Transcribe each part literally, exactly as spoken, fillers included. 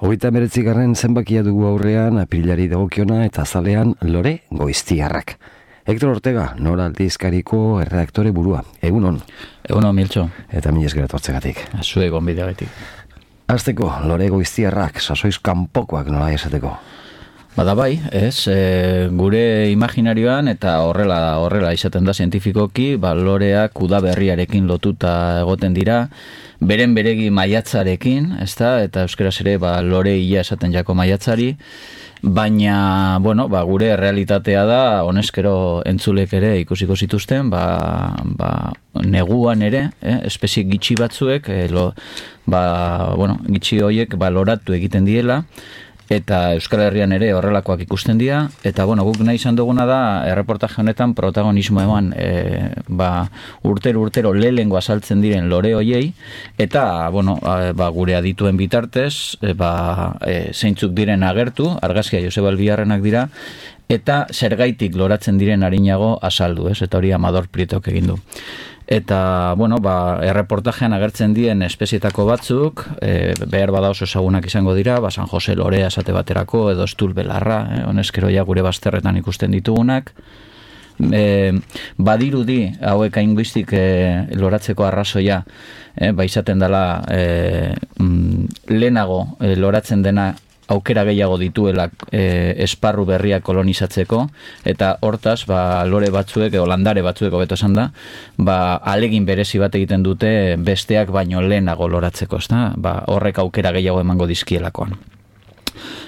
Hogeita hemeretzigarren zenbakia dugu aurrean, apirilari dagokiona eta azalean Lore Goiztiarrak. Hector Ortega, Nora Aldizkariko erredaktore burua. Egunon. Egunon, Miltxo. Eta mila esker etortzegatik. Zue gonbideagatik. Hasteko, Lore Goiztiarrak, sasoiz kanpokoak nola esateko. Bada bai, ez, e, gure imaginarioan eta horrela horrela izaten da zientifikoki, ba, loreak udaberriarekin lotuta egoten dira, beren beregi maiatzarekin, ezta, eta euskaraz ere ba, lore ia esaten jako maiatzari, baina, bueno, ba, gure realitatea da, honezkero entzulek ere ikusiko zituzten, ba, ba, neguan ere, eh, espezie gitxi batzuek, eh, lo, ba, bueno, gitxi horiek ba, loratu egiten diela, eta Euskal Herrian ere horrelakoak ikusten dira, eta bueno, guk nahi izan duguna da erreportaje honetan protagonismo eman e, ba, urtero urtero lehengo azaltzen diren lore hoiei, eta bueno, ba, gure adituen bitartez e, ba, e, zeintzuk diren agertu, argazkia Joseba Albiarrenak dira, eta zergaitik loratzen diren arinago azaldu, ez? Eta hori Amador Prietok egin du. Eta, bueno, ba, erreportajean agertzen dien espezietako batzuk, e, behar bada oso ezagunak izango dira, ba, San Jose Lorea esate baterako, edo Estul Belarra, eh, honezkero ja gure bazterretan ikusten ditugunak. E, badirudi, hauek ainguistik e, loratzeko arrazoia, e, ba, izaten dela e, mm, lehenago e, loratzen dena aukera gehiago dituela e, esparru berria kolonizatzeko, eta hortaz, ba, lore batzuek, edo landare batzuek hobeto esan da, ba, alegin berezi bat egiten dute besteak baino lehenago loratzeko, ezta? Ba, horrek aukera gehiago emango dizkielakoan.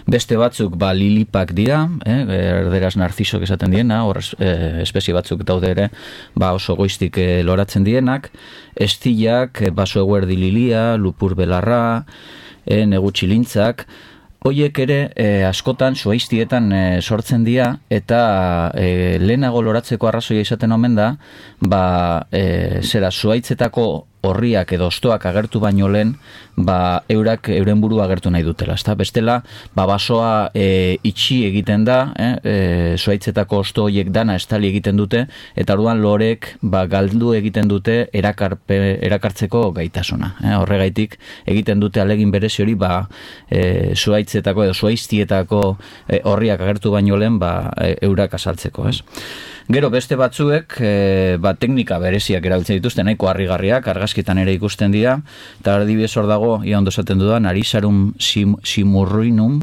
Beste batzuk ba, lilipak dira, eh, erderaz narzisok esaten diena, hor eh, espezie batzuk daude ere ba, oso goiztik eh, loratzen dienak, estillak, baso eguerdi lilia, lupur belarra, eh, negu txilintzak, hoiek ere eh, askotan zuaiztietan eh, sortzen dira, eta eh, lehenago loratzeko arrazoia izaten omen da, ba, eh, zera zuaitzetako horriak edo ostoak agertu baino lehen, ba, eurak euren burua agertu nahi dutela, ezta? Bestela, ba, basoa e, itxi egiten da, eh? e, zuaitzetako osto horiek dana estali egiten dute, eta orduan lorek ba, galdu egiten dute erakarpe, erakartzeko gaitasuna. Eh? Horregaitik egiten dute alegin berezi hori, ba, e, zuaitzetako edo zuaiztietako e, horriak agertu baino lehen, ba, e, eurak azaltzeko, ez? Gero beste batzuek e, ba, teknika bereziak erabiltzen dituzte, nahiko harrigarriak, argazkitan ere ikusten dira, eta adibidez hor dago, ia ondo esaten dudan, Arisarum sim, simurrinum,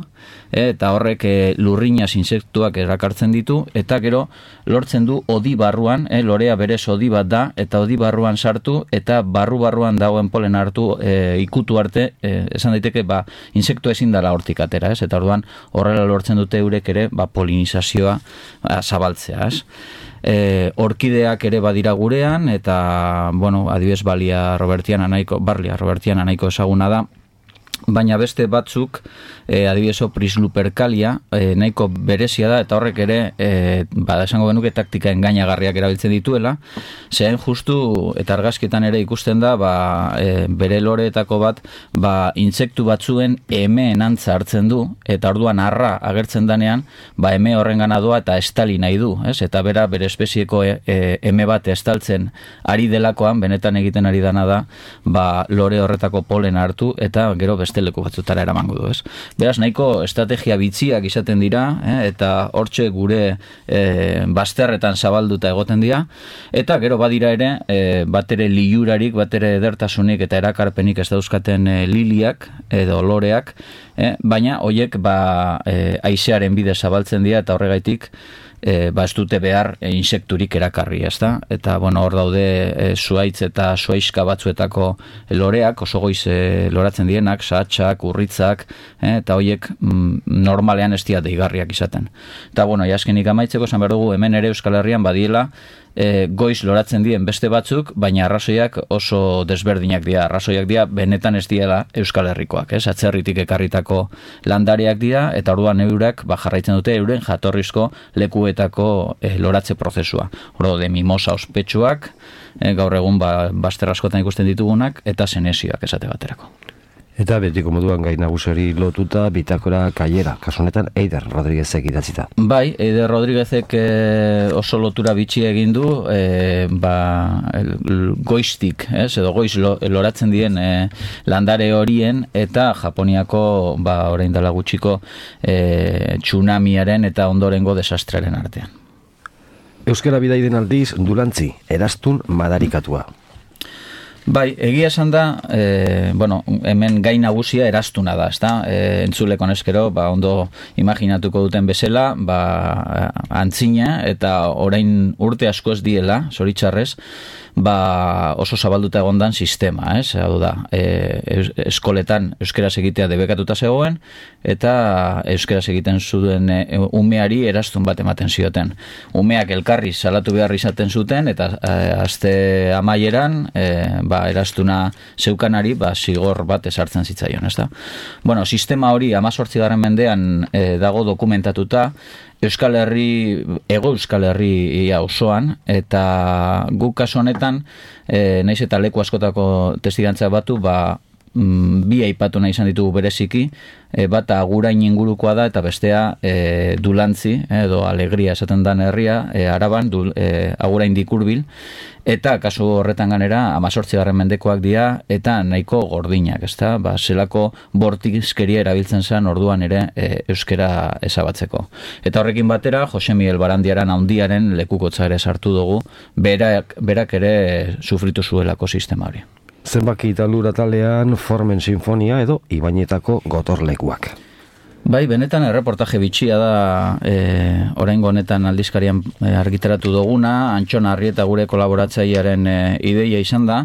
e, eta horrek e, lurrinaz insektuak erakartzen ditu, eta gero lortzen du odi barruan, e, lorea berez odi bat da, eta odi barruan sartu, eta barru-barruan dagoen polen hartu e, ikutu arte, e, esan daiteke, ba, insektu ezin dela hortik atera, ez? Eta orduan horrela lortzen dute eurek ere ba, polinizazioa ba, zabaltzea, ez? E, orkideak ere badira gurean, eta, bueno, adibidez Balia Robertiana nahiko, Barlia Robertiana nahiko ezaguna da, baina beste batzuk, e, adibidezo Prislupercalia, e, nahiko berezia da, eta horrek ere, e, bada esango genuke taktika engainagarriak erabiltzen dituela, zein justu, eta argazkietan ere ikusten da, ba, e, bere loreetako bat, ba, intsektu batzuen eme enantza hartzen du, eta orduan arra agertzen danean, ba, eme horren gana doa eta estali nahi du, ez? Eta bera, bere espezieko e, e, eme bat estaltzen ari delakoan, benetan egiten ari dana da, ba, lore horretako polen hartu, eta gero beste leku batzutara eramango du, ez? Beraz, nahiko estrategia bitziak izaten dira, eh? Eta hortxe gure eh, bazterretan zabalduta egoten dira, eta gero badira ere, eh, batere liurarik, batere edertasunik eta erakarpenik ez dauzkaten eh, liliak edo loreak, eh? Baina hoiek ba, eh, haizearen bidez zabaltzen dira, eta horregaitik E, ba ez dute behar e, insekturik erakarri, ezta? Eta, bueno, hor daude e, zuaitz eta zuaizka batzuetako loreak, oso goiz e, loratzen dienak, sahatxak, urritzak, e, eta horiek mm, normalean ez dira deigarriak izaten. Eta, bueno, jaskenik amaitzeko, esan behar dugu, hemen ere Euskal Herrian badiela, e, goiz loratzen dien beste batzuk, baina arrazoiak oso desberdinak dira. Arrazoiak dira benetan ez diela Euskal Herrikoak, ez? Atzerritik ekarritako landariak dira, eta orduan eurak ba, jarraitzen dute euren jatorrizko lekuetako e, loratze prozesua. Ordo de mimosa ospetsuak, e, gaur egun ba, bazter askotan ikusten ditugunak, eta senesioak esate baterako. Eta betiko moduan gai nagusiari lotuta bitakora kaiera, kasu honetan Eider Rodriguezek idatzita. Bai, Eider Rodriguezek e, oso lotura bitxi egin du, e, ba, el, goiztik, ez, edo goiz lo, loratzen dien e, landare horien eta Japoniako, ba, orain dela gutxiko e, tsunamiaren eta ondorengo desastrearen artean. Euskara bidaiden aldiz, Dulantzi, erastun madarikatua. Bai, egia esan da, e, bueno, hemen gai nagusia erastuna da, ezta? E, entzuleko neskero, ba, ondo imaginatuko duten bezala, ba, antzina eta orain urte asko ez diela, zoritxarrez, ba, oso zabalduta egondan sistema, ez? Hau da, e, eskoletan euskaraz egitea debekatuta zegoen, eta euskaraz egiten zuen e, umeari erastun bat ematen zioten. Umeak elkarri salatu behar izaten zuten, eta e, aste amaieran, e, ba, erastuna zeukanari, ba, zigor bat esartzen zitzaion, ez da? Bueno, sistema hori amazortzigarren mendean e, dago dokumentatuta, Euskal Herri, ego Euskal Herria osoan, eta guk kasu honetan, e, naiz eta leku askotako testigantza batu, ba, mm, bi aipatu nahi izan ditugu bereziki, e, bata Agurain ingurukoa da, eta bestea e, Dulantzi, edo Alegria esaten dan herria, e, Araban, dul, e, Agurain dikurbil, eta kasu horretan ganera amazortzigarren mendekoak dira eta nahiko gordinak, ezta? Ba, zelako bortizkeria erabiltzen zen orduan ere e, euskera ezabatzeko. Eta horrekin batera, Jose Miguel Barandiaran handiaren lekukotza ere sartu dugu, berak, berak ere sufritu zuelako sistema hori. Zenbaki talura talean Formen Sinfonia edo Ibainetako gotorlekuak. Bai, benetan erreportaje bitxia da e, oraingo honetan aldizkarian e, argitaratu duguna, Antxon Arrieta gure kolaboratzailearen e, ideia izan da,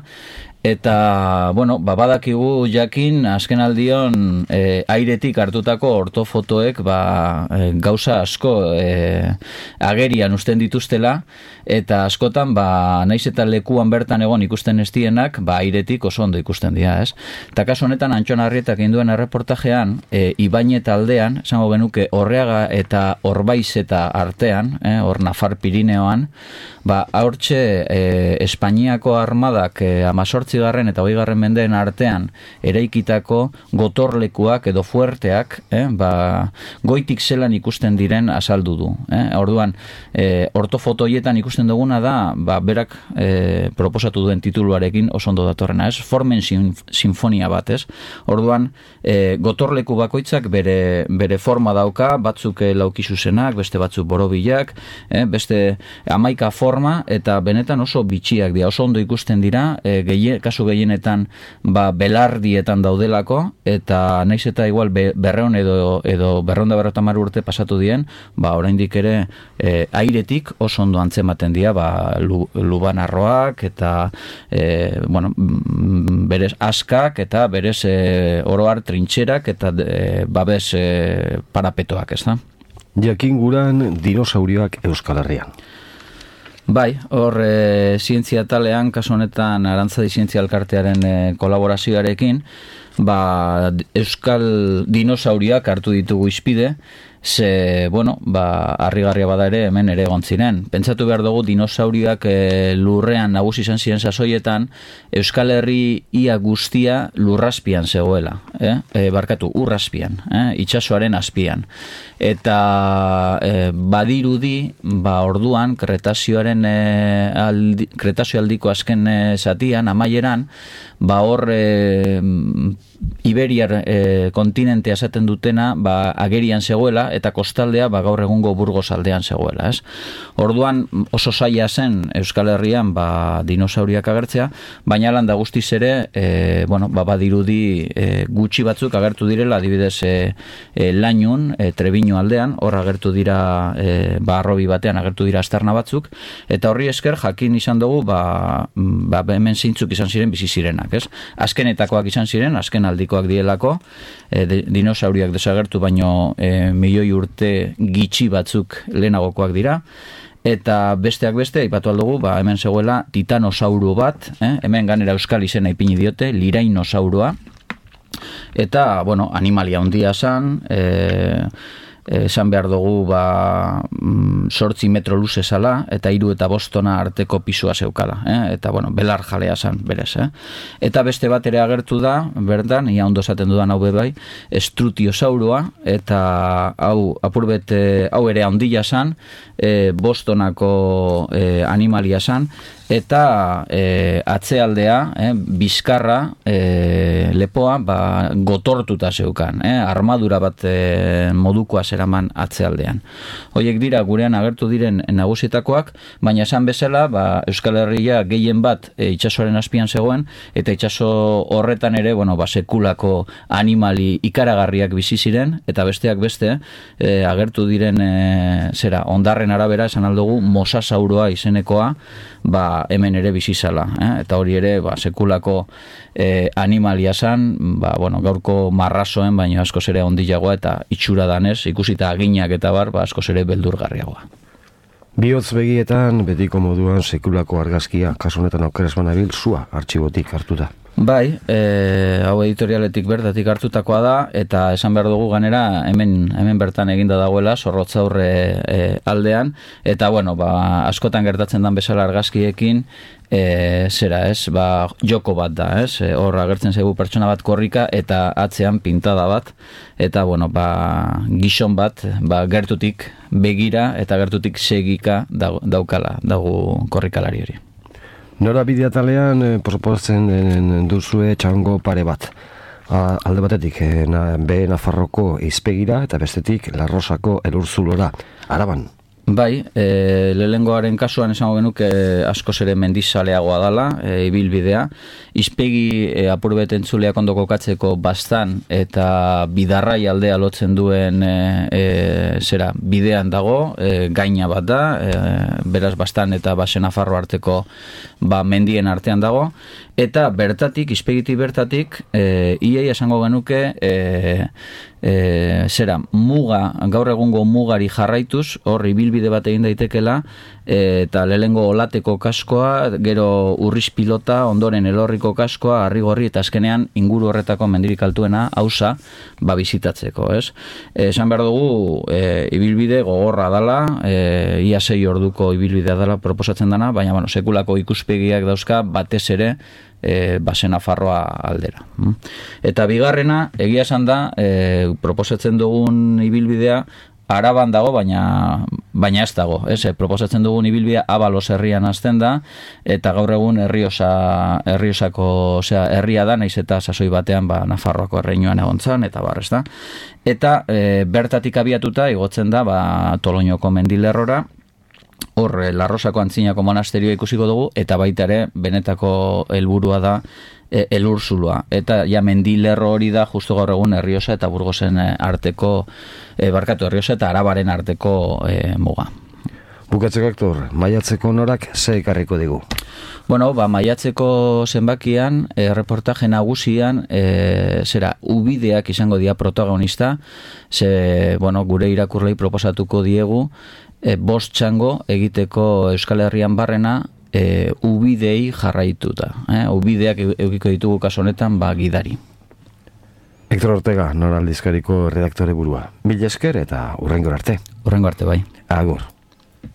eta, bueno, babadakigu jakin azken aldion e, airetik hartutako ortofotoek ba, e, gauza asko e, agerian usten dituztela, eta askotan, ba, naiz eta lekuan bertan egon ikusten ez dienak, ba, airetik oso ondo ikusten dira, ez? Eta kasu honetan, Antxon Arrietak induen erreportajean, e, Ibainet aldean, esango genuke, Orreaga eta Orbaiz eta artean, eh, hor Nafar Pirineoan, ba, haurtxe e, Espainiako armadak e, amazortzigarren eta hogeigarren mendeen artean eraikitako gotorlekuak edo fuerteak, eh, ba, goitik zelan ikusten diren azaldu du. Eh? Orduan, e, ortofotoietan ikusten duguna da, ba, berak e, proposatu duen tituluarekin oso ondo datorrena, ez? Formen sinfonia bat, ez? Orduan, e, gotorleku bakoitzak bere, bere forma dauka, batzuk laukizuzenak, beste batzuk borobilak, eh? Beste hamaika forma, eta benetan oso bitxiak dira, oso ondo ikusten dira, e, gehie, kasu gehienetan ba, belardietan daudelako, eta naiz eta igual be, berreon edo, edo berreonda berrotamar urte pasatu dien, ba, oraindik ere e, airetik oso ondo antzematen dira, ba, lu, lubanarroak, eta e, bueno, berez askak, eta berez e, oroar trintxerak, eta e, babes e, parapetoak, ez da? Jakin guran dinosaurioak Euskal Herrian. Bai, hor e, zientzia talean, kasu honetan Arantzadi Zientzia Elkartearen e, kolaborazioarekin, ba, Euskal dinosauriak hartu ditugu izpide, ze, bueno, ba, harrigarria bada ere hemen ere egon ziren. Pentsatu behar dugu dinosauriak e, lurrean nagusi izan ziren sasoietan, Euskal Herri ia guztia lurrazpian zegoela, eh? E, barkatu, urrazpian, eh? Itsasoaren azpian. Eta e, badirudi, ba, orduan, Kretazioaren e, aldi, Kretazio aldiko azken e, zatian, amaieran, ba, hor e, Iberiar e, kontinentea esaten dutena, ba, agerian zegoela, eta kostaldea ba, gaur egungo Burgos aldean zegoela, ez? Orduan oso zaila zen Euskal Herrian ba, dinosauriak agertzea, baina landa guztiz ere e, bueno, ba, badirudi e, gutxi batzuk agertu direla, adibidez e, e, Lainun, e, Trebiño aldean, hor agertu dira e, ba, arrobi batean agertu dira aztarna batzuk, eta horri esker jakin izan dugu ba, ba, hemen zeintzuk izan ziren bizi zirenak, ez? Azkenetakoak izan ziren, azken aldikoak dielako, e, de, dinosauriak desagertu baino e, milioi urte gitxi batzuk lehenagokoak dira, eta besteak beste, aipatu aldugu, ba, hemen zegoela titanosauru bat, eh? Hemen ganera euskal izena ipini diote, lirainosaurua, eta, bueno, animalia handia zan, e, esan behar dugu ba, sortzi metro luze zala, eta hiru eta bostona arteko pisua zeukala, eh? Eta, bueno, belar jalea zan, berez, eh? Eta beste bat ere agertu da, berdan, ia ondo esaten dudan hau bebai, estrutiosaurua, eta hau, apurbet, hau ere handia zan, e, bostonako e, animalia zan, eta e, atzealdea, eh, bizkarra, e, lepoa, ba, gotortuta zeukan, eh? Armadura bat e, modukoa zeraman atzealdean. Hoiek dira gurean agertu diren nagusietakoak, baina esan bezala, ba, Euskal Herria gehien bat e, itsasoaren azpian zegoen, eta itsaso horretan ere, bueno, ba, sekulako animali ikaragarriak bizi ziren, eta besteak beste, e, agertu diren e, zera, ondarren arabera esan aldugu mosasauroa izenekoa, ba, hemen ere bizizala, eh? Eta hori ere ba, sekulako eh, animalia zan, ba, bueno, gaurko marrazoen, baina askoz ere ondilagoa eta itxura danez, ikusita aginak eta bar, ba, askoz ere beldurgarriagoa. Bihotz begietan, betiko moduan sekulako argazkia, kasu honetan aukeraz banabil, zua artxibotik hartuta. Bai, e, hau editorialetik bertatik hartutakoa da, eta esan behar dugu ganera hemen, hemen bertan eginda dagoela, Zorrotzaurre e, aldean, eta bueno, ba, askotan gertatzen dan bezala argazkiekin, e, zera ez, ba, joko bat da, ez, e, hor agertzen zaigu pertsona bat korrika, eta atzean pintada bat, eta bueno, ba, gizon bat, ba, gertutik begira, eta gertutik segika daukala, dago korrikalari hori. Nora bideatalean eh, proposatzen duzue txango pare bat. A, alde batetik, eh, na, be Nafarroko izpegira eta bestetik Larrosako Elurzulora, Araban. Bai, e, lehengoaren kasuan esango genuke e, askoz ere mendizaleagoa dala, e, ibilbidea. Izpegi e, apurbet entzuleak ondo kokatzeko bastan eta bidarrai aldea lotzen duen e, e, zera, bidean dago, e, gaina bat da, e, beraz bastan eta basen Nafarro arteko ba, mendien artean dago, eta bertatik, izpegitik bertatik, e, iei esango genuke, e, e, zera, muga, gaur egungo mugari jarraituz, hor ibilbide bat egin daitekela, eta lehengo olateko kaskoa, gero urriz pilota, ondoren elorriko kaskoa, harrigorri eta azkenean inguru horretako mendirik altuena hausa ba bizitatzeko, ez? Esan behar dugu, e, ibilbide gogorra dala, e, ia sei orduko ibilbidea dala proposatzen dana, baina bueno, sekulako ikuspegiak dauzka batez ere e, basen Nafarroa aldera. Eta bigarrena, egia esan da, e, proposatzen dugun ibilbidea, Araban dago, baina baina ez dago, ez, proposatzen dugun ibilbidea Abalos herrian hasten da, eta gaur egun Erriosa, Erriosako, osea, herria da, naiz eta sasoi batean ba, Nafarroako erreinuan egontzan, eta bar, ez da. Eta e, bertatik abiatuta igotzen da ba, Toloñoko mendilerrora, hor Larrosako Antzinako monasterioa ikusiko dugu, eta baita ere benetako helburua da E, Elurzuloa, eta ja mendilerro hori da justu gaur egun Erriosa eta Burgosen arteko, e, barkatu Erriosa eta Arabaren arteko e, muga. Bukatzeko aktor, maiatzeko norak ze ekarriko digu? Bueno, ba, maiatzeko zenbakian, e, reportaje nagusian, e, zera, ubideak izango dira protagonista, ze, bueno, gure irakurlei proposatuko diegu, e, bost txango egiteko Euskal Herrian barrena, E, ubidei jarraituta, eh? Ubideak eukiko ditugu kaso honetan ba gidari. Hector Ortega, Nora Aldizkariko redaktore burua. Mil esker eta hurrengor arte. Hurrengo arte bai. Agur.